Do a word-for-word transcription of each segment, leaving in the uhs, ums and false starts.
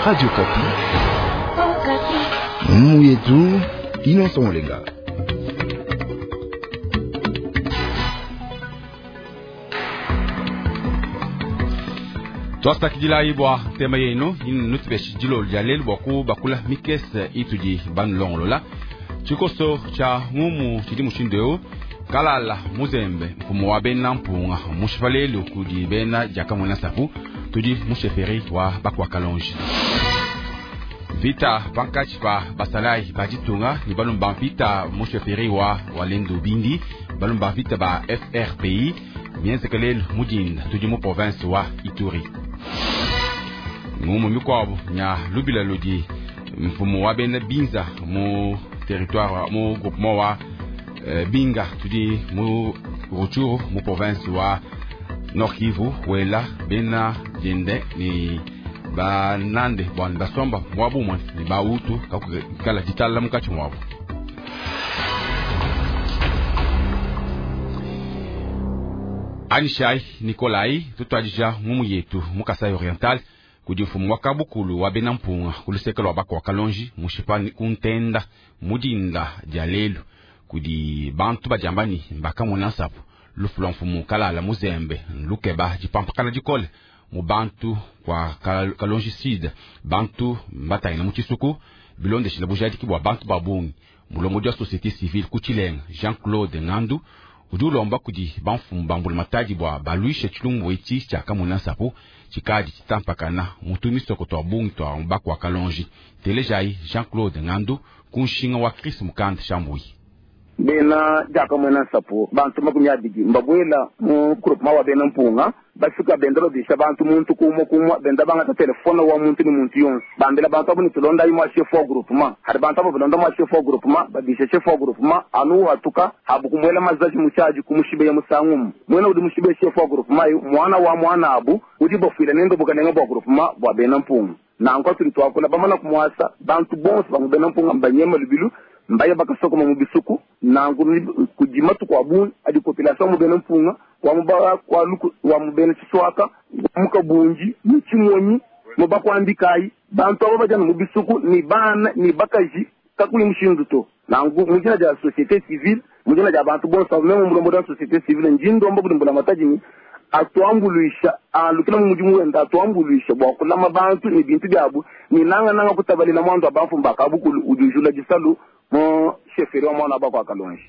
Radio Okapi. Muyetu Innocent Olenga. Twasakidila bua tema yenu nutupeshe dilolo dia lelu bua kubakula mikese itudi banulongolola. Tshikoso tshia ngumu tshidi mushindu eu: Kalala Muzembe, mfumu wa bena mpunga, mushipa lelu kudi bena diakamwena nsapu, tudi mu chefferie wa bakwa Kalonji. Vita pankatshi pa basalayi ba ditunga ne balumba mvita mu chefferie wa Walendu Bindi, balumba mvita ba F R P I mienzeke lelu mu dinda, tudi mu province wa Ituri. Ngumu mikuabu nya lubila ludi mfumu wa bena Binza mu territoire mu groupement wa eh, Binga, tudi mu Rutshuru mu province wa Nord Kivu, wela bena diende ni banande bwana basomba mwabumwe ni bautu kakukala ditala mukatshi mwabu. Anishai Nikolai tutwadija ngumu yetu mu Kasai Oriental kudi mfumu wa kabukulu wa bena mpunga kuluseke lwa bakwa Kalonji mushipa kuntenda mudinda dia lelu kudi bantu badiambani mbakamona nsapu lufu lwa mfumu Kalala Muzembe lukeba dipampakana dikole mu bantu kwa Kalonji Sud, bantu mbatangila mu tshisuku bilondeshile bujadiki bua bantu ba bungi. Mulongodi wa société civile ku Tshilenga Jean-Claude Ngandu udi ulomba kudi bamfumu ba mbulamatadi bua baluishe tshilumbu etshi tshia kamona nsapu tshikadi tshitampakana mutu misoko twa bungi twa bakwa Kalonji. Telejai Jean-Claude Ngandu ku nshinga wa Chris Mukanda Shambui. Bena diakamwena nsapu bantu makumi abidi mbabwela mu groupement wa bena mpunga bafika benda babisha bantu muntu kumwe kumwe benda bangata telefone wa muntu ni muntu yonse bambela bantu abo nitulonda imwa chef wa groupement hari bantu abo balonda mwa chef wa groupement babisha chef wa groupement anu hatuka habu kumwela mazaji muchaji kumushibe ya musangumu mwena udi mushibe chef wa groupement yu mwana wa mwana abu udi bafwila nendo bukanenga bwa groupement bwa bena mpunga nanko tuli twakula bamana kumwasa bantu bonse bamu bena mpunga mbanyema lubilu mbaya bakasokoma mu bisuku nangu kujima tukwa adi population mu bena mpunga wa muba kwa luku wa mu bena tshiswaka mukabunji ni chimonyi mu bakwambikai bantu abo bajana mu bisuku ni bana ni bakaji kakuli mushindu to nangu mujina ja société civile mujina ja bantu bonse meme mulombo da société civile njindo mbo bulimbula mataji ni atuambuluisha alukila mu mudimu wenda atuambuluisha bwa kulama bantu ni bintu byabu ni nanga nanga kutabalila mwandu abamfu mbakabukulu ujujula disalu mo chefferie wa mwana bakwa Kalonji.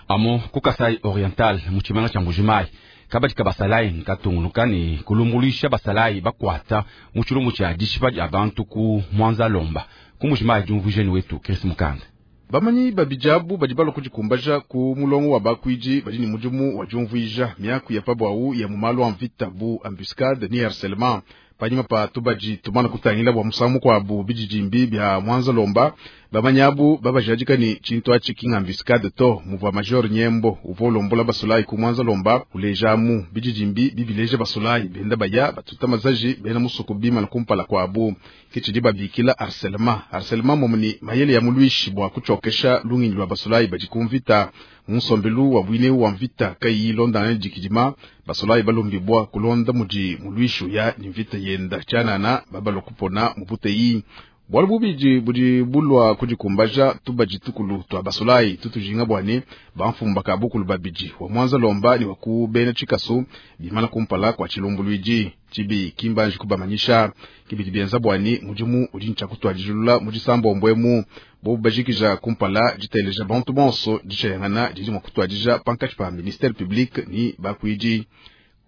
Amo ku Kasai Oriental mu tshimanga tshia Mbujimayi kabadi ka basalayi nkatunguluka ne kulumbuluisha basalayi bakwata mu tshilumbu tshia dishipa dia bantu ku Mwanza Lomba ku Mbujimayi. Diumvuijeni wetu Chris Mukanda. Bamanyi babijabu badi balua kudikumbaja ku mulongo wa bakuidi badi ne mudimu wa diumvuija miaku ya pabwawu ya mu malu a mvita bu embuscade ni harcèlement. Panyima pa tubadi tumana kutangila bua musangu mukuabu bididimbi bia Mwanza Lomba bamanyabu babajadika ni tshintu atshi ki embuscade to muvua major Nyembo uvua ulombola basulayi ku Mwanza Lomba ulejamu bididimbi bibileja basulayi benda baya batuta mazaji bena musuku bimana kumpala kuabu kitshidi babikila harcèlement. Harcèlement momuni mayele ya mulwishi bua kutshiokesha lunginyi lwa basulayi badi ku mvita munsombelu wa bwine wa mvita kayi londana dikidima basulayi balombibwa kulonda mudi mulwishu ya ni mvita yenda tshianana babalwa kupona mubuteyi bwalu bubidi budi bulwa kudikumbaja tubadi tukulu twa basulayi tutujinga bwane bamfumba ka bukulu babidi wa Mwanza Lomba ni waku bena tshikasu bimana kumpala kwa tshilumbuluidi tshibi kimbanji kubamanyisha kibidi bienza bwani mudimu udi ntshakutwadijulula mu disambombwemu bobu bajikija kumpala diteleja bantu bonso ditshayangana didi mua kutwadija pankatshi pa ministère public ni bakuidi.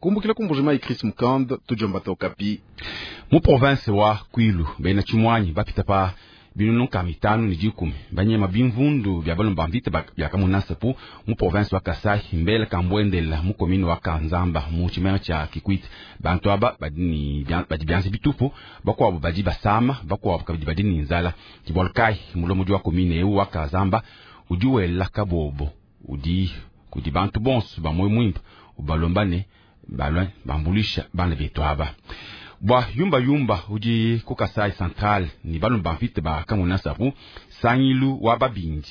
Kumbukila ku Mbujimayi Chris Mukand tujomba tokapi. Mu province wa Kwilu bena tshimwanyi bapita pa binunu nka mitanu ne dikumi banyema bimvundu bya balumba mvita bya kamuna nsapu mu province wa Kasai mbele kambwendela mu commune wa Kanzamba mu tshimanga tshia Kikwit. Bantu aba badi ni badi bianze bitupu bakwabo badi basama bakwabo kabidi badi ni nzala. Kibolkai mulomodi wa commune eu wa Kanzamba udi wela kabobo udi kudi bantu bonso ba moyo mwimpe ubalomba ne balwa bambulisha bana betu aba bwa yumba yumba udi ku Kasai Central ni balumba mvita ba kamuna nsapu sangilu wa babindi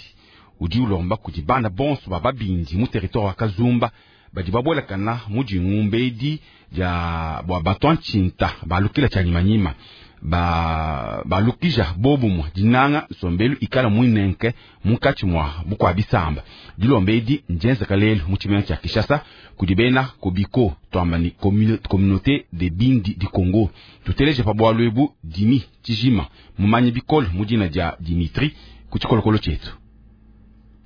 udi ulomba kudi bana bonso ba babindi mu territoire wa Kazumba badi babolekana mu dingumbedi dia bwa batwa ntshinta balukila tshia nyimanyima Ba balukija bobumwe dinanga nsombelu ikala muinenke munkatshi mua bukua bisamba. Dilomba edi ndienzeka lelu mu tshimenga tshia Kinshasa kudi bena Kobiko, twamba ni communauté de Bindi di Congo. Tuteleje pa bualu ebu Dimi Tshijima mumanye bikole mu dina dia Dimitri ku tshikolokolo tshietu.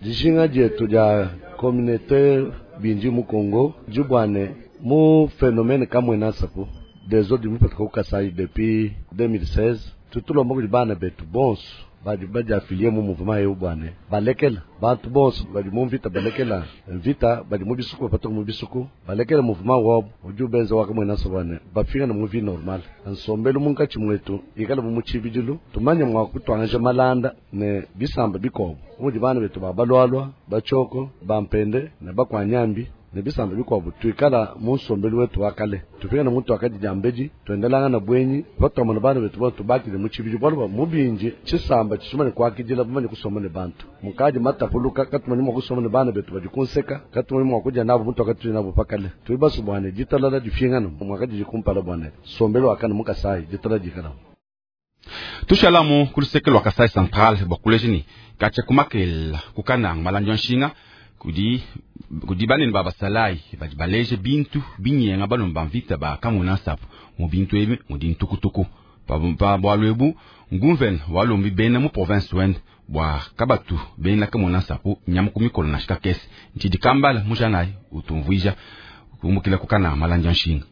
Dijinga dietu dia communauté Bindi mu Congo dibwane mu phénomène Kamwina Nsapu desordre mipatuka ku Kasai depuis deux mille seize. Tutulomba kudi bana betu bonso badi badi affilié mu mouvement eu bwane balekela bantu bonso badi mu mvita, balekela mvita, badi mu bisuku bapatuka mu bisuku, balekela mouvement wabo udi ubenza wa Kamwina Nsapu bwane bafika na mu vie normale. Nsombelu munkatshi mwetu ikala mu tshibidilu, tumanye mua kutuangaja malanda ne bisamba bikobo mudi bana betu ba balwalwa bachoko bampende ne bakwanyambi ne bisamba bikuabu. Tuikala mu nsombelu wetu wa kale, tufika na muntu wakadi diambedi tuendelanga na bwenyi patwamona bana betu bo tubakile mu tshibidi bualu bua mubinji tshisamba tshishimane kuakidila bamanye kusomba ne bantu mukadi matapuluka katumanye mua kusomba ne bana betu badi kunseka katumanye mua kudia nabo muntu wakati nabo pakale tuli basu bwane ditalala difingana mwakadi dikumpala bwane sombelu wakana mukasai ditala dikala. Tushalamu ku luseke lwa Kasai Central bua kuleja ni katshia kumakela kukananga malandi ya nshinga kudi kudi banene ba basalayi badi baleje bintu binyenga balomba mvita ba Kamwina Nsapu mu bintu ebi mudi ntukutuku pa bualu ebu nguvene walombi bena mu province wende bua kabatu bena Kamwina Nsapu nyama ku mikolo na shikakese ntshidi kambala mujanayi utumvuija kumbukila kukananga malandi ya nshinga.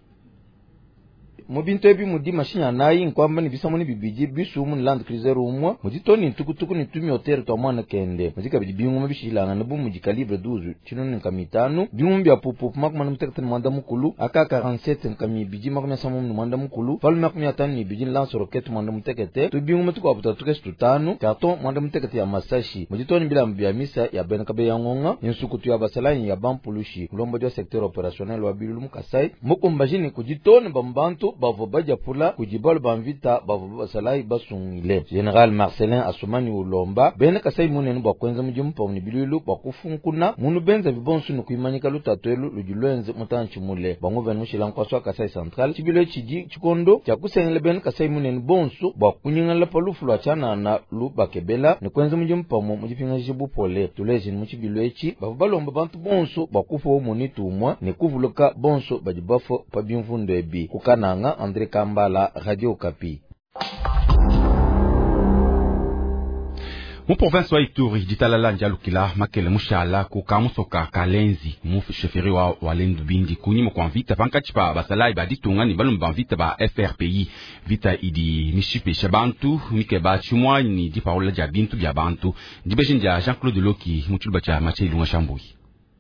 Mu bintu ebi mudi mashinya anayi nkwamba ni bisamuni bibidi bisumu ni Land Cruiser umwe mudi toni ntukutuku ni tumiotere twa mwana kende mudi kabidi binguma bishilangana bu mudi calibre douze tshinunu nkama itanu binguma bya pupupu makumi ane mutekete ni mwanda mukulu A K quarante-sept nkama ibidi makumi asambombo ni mwanda mukulu falume makumi atanu ni ibidi ni lance roquette mwanda mutekete tu binguma tukuabu tatu kesi tutanu carton mwanda mutekete ya masashi mudi toni bilambu bya misa ya bena kabe ya ngonga insukutu ya basalayi ya bampulushi mulombodi wa secteur opérationnel wa Bilulu mu Kasai mukumbajini kudi toni bambantu bavo badiapula kudi balu ba mvita bavo basalayi basungile. General Marcelin Asumani ulomba bena Kasai munene bua kuenza mudimu pamue ne bilulu bua kufunkuna munu benza bibonso ne kuimanyika lutatu elu ludi lwenze mutantshi mule. Banguvene mushila nkuasu wa Kasai Central tshibilo tshidi tshikondo tshia kusengela bena Kasai munene bonso bua kunyingala pa lufu lua tshianana lu bakebela ne kuenza mudimu pamue mu dipingaja bupole. Tuleje mu tshibilo etshi bavo balomba bantu bonso bua kufa munitu umue ne kuvuluka bonso badi bafua pa bimvundu ebi. Kukananga, André Kambala, Radio Okapi. Mu province wa Ituri ditalala ndialukila makele mushala ku kamusoka kalenzi mu chefferie wa Walendu Bindi kunyima kwa mvita pankatshi pa basalayi ba ditunga ni balumba mvita ba F R P I. Vita idi mishipesha bantu mikeba tshimua ni dipaula dia bintu bia bantu. Ndibeji ndia Jean-Claude Loki mu tshiluba tshia Mathieu Ilunga Shambuyi.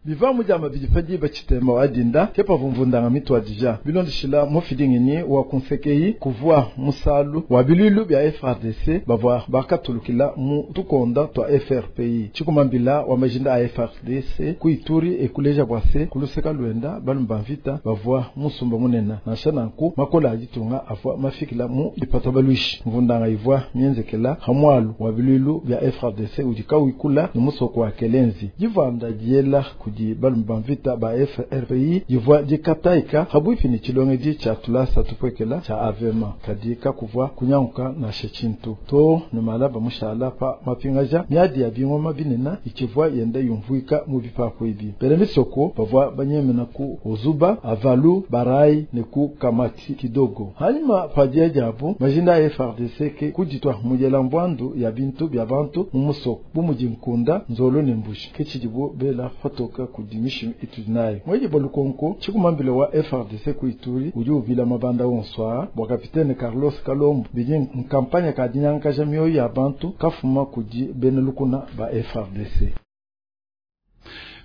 Biva mujama bidipadi bachitema wadinda kepa vumvundanga mitwa dija bilondishila mufidingini wa kunsekei kuvua musalu wa bilulu bya F R D C bavwa bakatulukila mu tukonda twa F R P I chikumambila wa majinda a F R D C kuituri ekuleja bwase kuluseka lwenda balumba mvita bavwa musumba munena nasha nanku makola ajitunga avwa mafikila mu dipata balwishi mvundanga ivwa mienzekela hamwalu wa bilulu bya F R D C udikawikula ni musoko wa Kelenzi jivanda diela ku di balumba mvita ba F R P I divwa dikataika habwipi ni chilongedi cha tulasa tupwekela cha avema kadika kuvwa kunyanguka na shechintu to ni malaba mushala pa mapingaja miadi ya bingoma binena ichivwa yenda yumvuika mu bipako ibi bele misoko bavwa banyemena ku ozuba avalu barai ne ku kamati kidogo hanyuma padia jabu majinda ya F R D C ke kujitwa mujela mbwandu ya bintu bya bantu mu musoko bumuji nkunda nzolo ne mbushi kechijibu bela fotoka kudimishi itunayo mweje bolukonko chikumambile wa F R D C kuituri udi ubila mabanda wonswa bwa kapitene Carlos Kalombo bidi nkampanya ka dinyankaja mioyo ya bantu kafuma kudi benelukuna ba F R D C.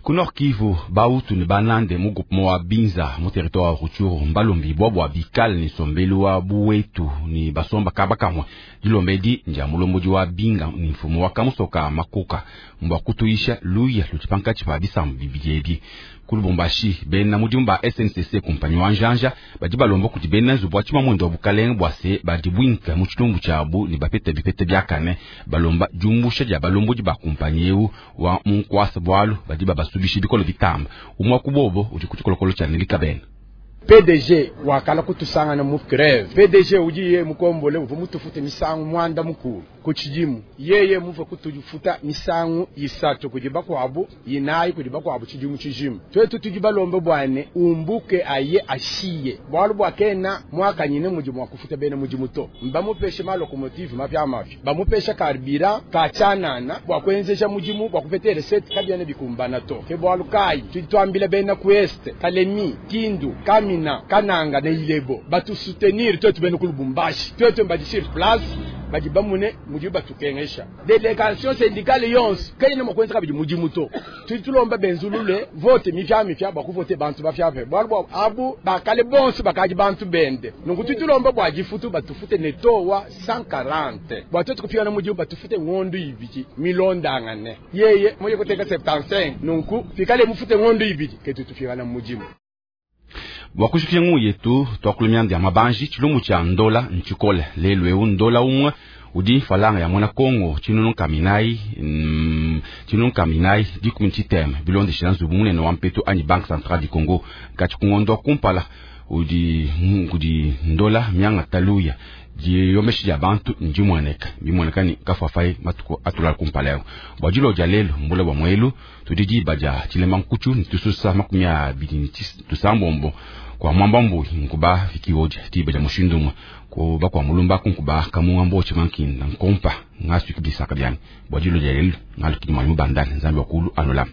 Ku Nord Kivu bautu ne banande mu groupement wa Binza mu territoire wa Rutshuru mbalombi bwa bwa bikale ni sombelu wa buwetu ni basomba kaba kamwe dilombedi ndia mulombodi wa Binga ni mfumo wa kamusoka makuka mbwa kutuisha luya lutipankatshi pa bisambu bibidi ebi. Ku Lubumbashi bena mudimu ba S N C C kumpanyi wa njanja badi balomba kuti bena nzubu wa tshimamwendo wa bukalenge bwa se badi bwinka mu tshilumbu tshiabu ne bapete bipete biakane balomba diumbusha dia balombodi ba kumpanyi eu wa munkwasa bwalu badi babasubisha bikolo bitamba umwa kubobo udi ku tshikolokolo tshia Nelika Bena. P D G wakala kutusangana mu grève. P D G udi ye mukombole uvua mutufute misangu mwanda mukulu ku tshidimu, yeye muvua kutufuta misangu isatu kudi bakuabu, inayi kudi bakuabu tshidimu tshijima. Twetu tudi balombe bwane umbuke aye ashiye bualu bua kena mwakanyine mudimu wa kufuta bena mudimu to. Mbamupeshe malocomotive mapya mapya, bamupesha carburant kachanana bua kuenzesha mudimu bua kupeta recette, kabiena bikumbana to. Ke bualu kayi tudi tuambila bena ku Est, Kalemi, Kindu, Kamina, Kananga ne Ilebo batusoutenir twetu bena ku Lubumbashi. Twetu mbadi sur place badi bamune mudi batukengesha. Délégation syndicale yonso kayina mua kuenza kabidi mudimu to. Tudi tulomba benzulule vote mipya mipya bua kuvote bantu bapyapya, bualu bua abu bakale bonso bakadi bantu bende. Nunku tudi tulomba bua difutu batufute ne towa cent quarante bua twetu kupingana mudimu, batufute ngondo ibidi milondangane. Yeye muye kuteka soixante-quinze, nunku fikale mufute ngondo ibidi ke tutupingana mudimu. Bua kushikia ngu yetu twakulumia ya mabanji tshilumbu tshia ndola ntshikole lelu eu. Ndola umwe udi falanga ya mwana Kongo tshinunu kaminayi mm, tshinunu kaminayi dikumi tshiteme bilondeshela nzubu munene wa mpetu anyi Banque Centrale du Congo. Katshi kungondo kumpala udi kudi ndola mianga taluya diyomeshi dia bantu ndimueneka bimueneka ni kafafayi matuku atulala kumpala yao. Bua dilo dia lelu mbula bua muelu tudi diba dia tshilema nkutshu nitususa makumi abidi ni tusambombo kwa mwamba mbui nkuba fikiwoja diba dia mushindu umwe kuba kwa mulumba kunkuba kamunga mboche mankinda nkompa ngasuki bisaka byani. Bua dilo dia lelu ngalukidi mwanyi mubandane Nzambi wakulu anulama.